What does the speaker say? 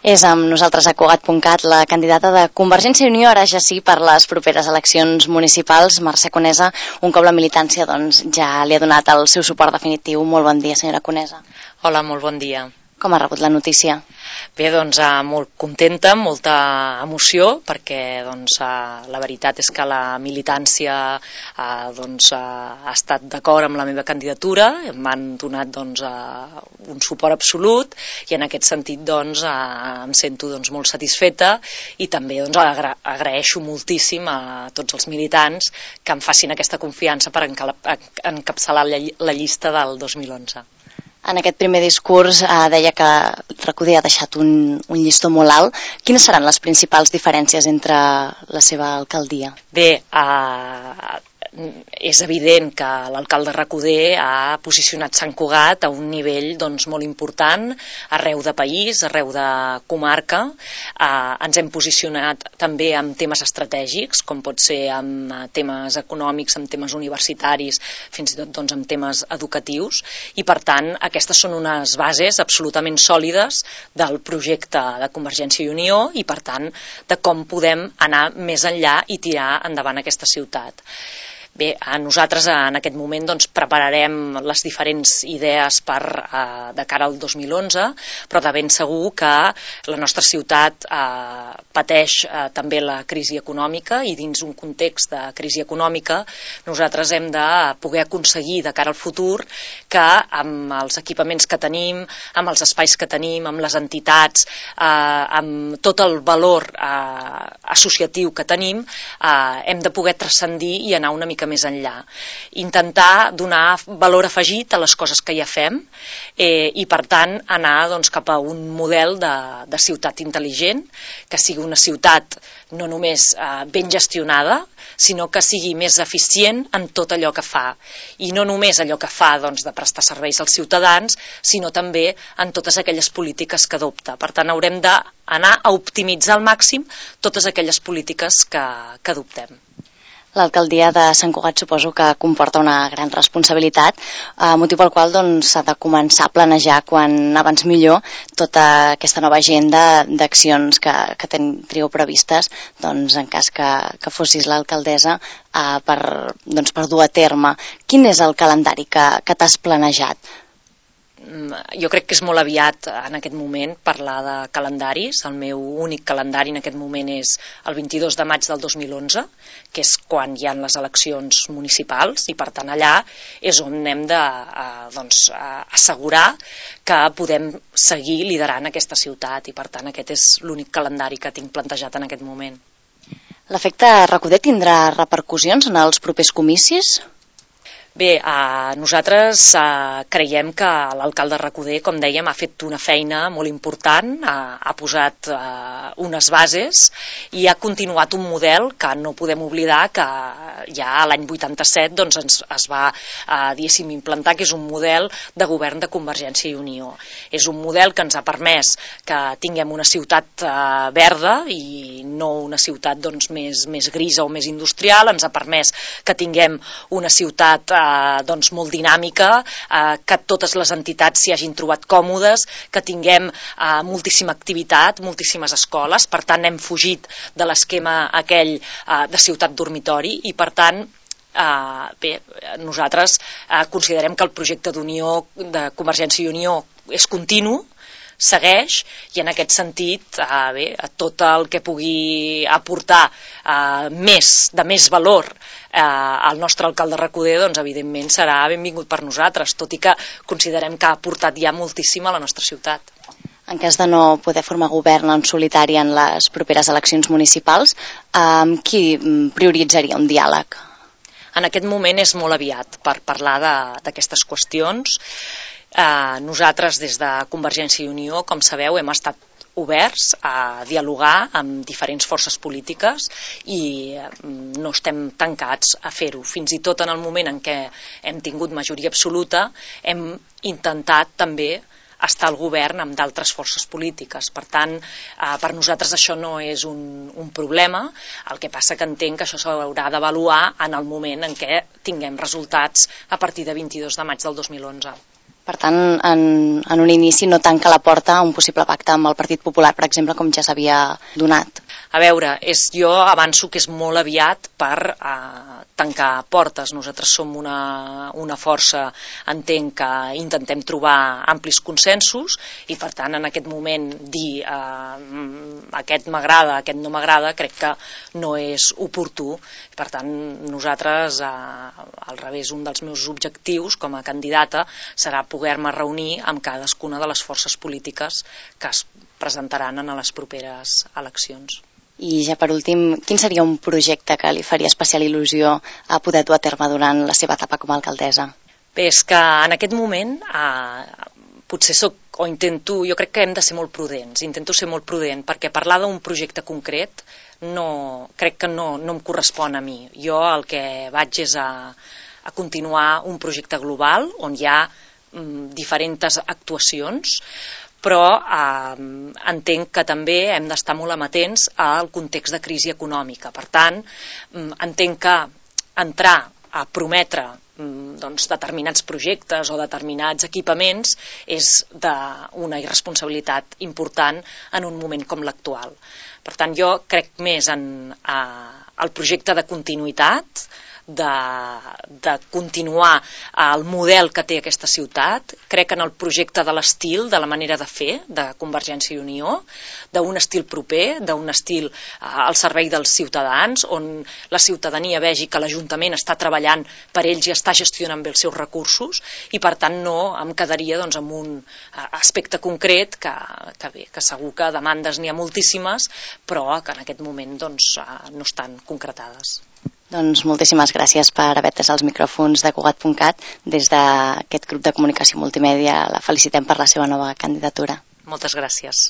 És amb nosaltres a Cugat.cat la candidata de Convergència i Unió, ara ja sí, per les properes eleccions municipals, Mercè Conesa. Un cop la militància ja li ha donat el seu suport definitiu. Molt bon dia, senyora Conesa. Hola, molt bon dia. Com ha rebut la notícia? Bé, doncs molt contenta, molta emoció, perquè la veritat és que la militància ha estat d'acord amb la meva candidatura, m'han donat un suport absolut i en aquest sentit em sento molt satisfeta i també agraeixo moltíssim a tots els militants que em facin aquesta confiança per encapçalar la llista del 2011. En aquest primer discurs deia que Recoder ha deixat un llistó molt alt. Quines seran les principals diferències entre la seva alcaldia? Bé, és evident que l'alcalde Recoder ha posicionat Sant Cugat a un nivell molt important arreu de país, arreu de comarca. Ens hem posicionat també en temes estratègics, com pot ser en temes econòmics, en temes universitaris, fins i tot en temes educatius, i per tant aquestes són unes bases absolutament sòlides del projecte de Convergència i Unió i per tant de com podem anar més enllà i tirar endavant aquesta ciutat. Bé, nosaltres en aquest moment prepararem les diferents idees de cara al 2011, però de ben segur que la nostra ciutat pateix també la crisi econòmica i dins un context de crisi econòmica nosaltres hem de poder aconseguir de cara al futur que amb els equipaments que tenim, amb els espais que tenim, amb les entitats, amb tot el valor associatiu que tenim, hem de poder transcendir i anar una mica més enllà. Intentar donar valor afegit a les coses que ja fem i per tant anar cap a un model de ciutat intel·ligent, que sigui una ciutat no només ben gestionada, sinó que sigui més eficient en tot allò que fa. I no només allò que fa de prestar serveis als ciutadans, sinó també en totes aquelles polítiques que adopta. Per tant, haurem d'anar a optimitzar al màxim totes aquelles polítiques que adoptem. L'alcaldia de Sant Cugat suposo que comporta una gran responsabilitat, motiu pel qual s'ha de començar a planejar quan abans millor tota aquesta nova agenda d'accions que teniu previstes en cas que fossis l'alcaldessa per dur a terme. Quin és el calendari que t'has planejat? Jo crec que és molt aviat en aquest moment parlar de calendaris. El meu únic calendari en aquest moment és el 22 de maig del 2011, que és quan hi ha les eleccions municipals i per tant allà és on hem d'assegurar que podem seguir liderant aquesta ciutat i per tant aquest és l'únic calendari que tinc plantejat en aquest moment. L'efecte Recoder tindrà repercussions en els propers comicis? Bé, nosaltres creiem que l'alcalde Recoder, com dèiem, ha fet una feina molt important, ha posat unes bases i ha continuat un model que no podem oblidar que ja l'any 87 es va implantar, que és un model de govern de Convergència i Unió. És un model que ens ha permès que tinguem una ciutat verda i no una ciutat més grisa o més industrial, ens ha permès que tinguem una ciutat molt dinàmica, que totes les entitats s'hi hagin trobat còmodes, que tinguem moltíssima activitat, moltíssimes escoles, per tant hem fugit de l'esquema aquell de ciutat dormitori i per tant nosaltres considerem que el projecte d'Unió de Convergència i Unió és continu, segueix i en aquest sentit tot el que pugui aportar de més valor al nostre alcalde Recoder evidentment serà benvingut per nosaltres, tot i que considerem que ha aportat ja moltíssim a la nostra ciutat. En cas de no poder formar govern en solitari en les properes eleccions municipals, qui prioritzaria un diàleg? En aquest moment és molt aviat per parlar d'aquestes qüestions. Nosaltres des de Convergència i Unió, com sabeu, hem estat oberts a dialogar amb diferents forces polítiques i no estem tancats a fer-ho. Fins i tot en el moment en què hem tingut majoria absoluta hem intentat també estar al govern amb d'altres forces polítiques. Per tant, per nosaltres això no és un problema, el que passa que entenc que això s'haurà d'avaluar en el moment en què tinguem resultats a partir de 22 de maig del 2011. Per tant, en un inici no tanca la porta a un possible pacte amb el Partit Popular, per exemple, com ja s'havia donat. A veure, jo avanço que és molt aviat per tancar portes. Nosaltres som una força, entenc, que intentem trobar amplis consensos i, per tant, en aquest moment dir aquest m'agrada, aquest no m'agrada, crec que no és oportú. Per tant, nosaltres, al revés, un dels meus objectius com a candidata serà poder-me reunir amb cadascuna de les forces polítiques que es presentaran en les properes eleccions. I ja per últim, quin seria un projecte que li faria especial il·lusió a poder dur a terme durant la seva etapa com a alcaldessa? Bé, és que en aquest moment potser jo crec que hem de ser molt prudents, intento ser molt prudent, perquè parlar d'un projecte concret crec que no em correspon a mi. Jo el que vaig és a continuar un projecte global on hi ha diferents actuacions, però entenc que també hem d'estar molt amatents al context de crisi econòmica. Per tant, entenc que entrar a prometre determinats projectes o determinats equipaments és d'una irresponsabilitat important en un moment com l'actual. Per tant, jo crec més en el projecte de continuïtat, de continuar el model que té aquesta ciutat. Crec en el projecte de l'estil, de la manera de fer de Convergència i Unió, d'un estil proper, d'un estil al servei dels ciutadans, on la ciutadania vegi que l'Ajuntament està treballant per ells i està gestionant bé els seus recursos, i per tant no em quedaria amb un aspecte concret que segur que demandes n'hi ha moltíssimes, però que en aquest moment no estan concretades. Doncs moltíssimes gràcies per haver atès els micròfons de Cugat.cat. Des d'aquest grup de comunicació multimèdia la felicitem per la seva nova candidatura. Moltes gràcies.